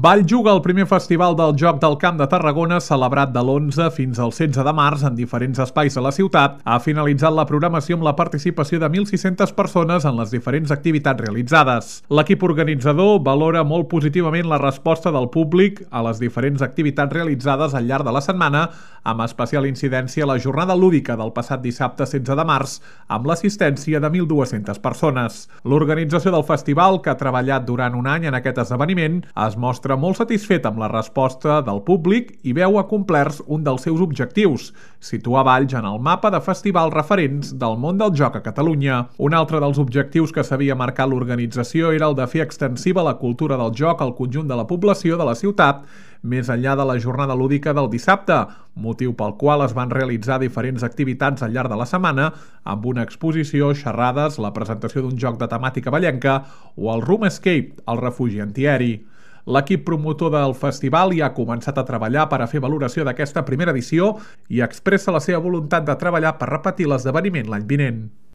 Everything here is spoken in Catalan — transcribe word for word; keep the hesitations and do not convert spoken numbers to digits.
Vall juga el primer festival del Joc del Camp de Tarragona, celebrat de l'onze fins al setze de març en diferents espais de la ciutat. Ha finalitzat la programació amb la participació de mil sis-centes persones en les diferents activitats realitzades. L'equip organitzador valora molt positivament la resposta del públic a les diferents activitats realitzades al llarg de la setmana, amb especial incidència a la jornada lúdica del passat dissabte setze de març, amb l'assistència de mil dues-centes persones. L'organització del festival, que ha treballat durant un any en aquest esdeveniment, es mostra molt satisfet amb la resposta del públic i veu acomplerts un dels seus objectius, situar Valls en el mapa de festivals referents del món del joc a Catalunya. Un altre dels objectius que s'havia marcat l'organització era el de fer extensiva la cultura del joc al conjunt de la població de la ciutat, més enllà de la jornada lúdica del dissabte, motiu pel qual es van realitzar diferents activitats al llarg de la setmana, amb una exposició, xerrades, la presentació d'un joc de temàtica vallenca o el Room Escape, el refugi antiaeri. L'equip promotor del festival ja ha començat a treballar per a fer valoració d'aquesta primera edició i expressa la seva voluntat de treballar per repetir l'esdeveniment l'any vinent.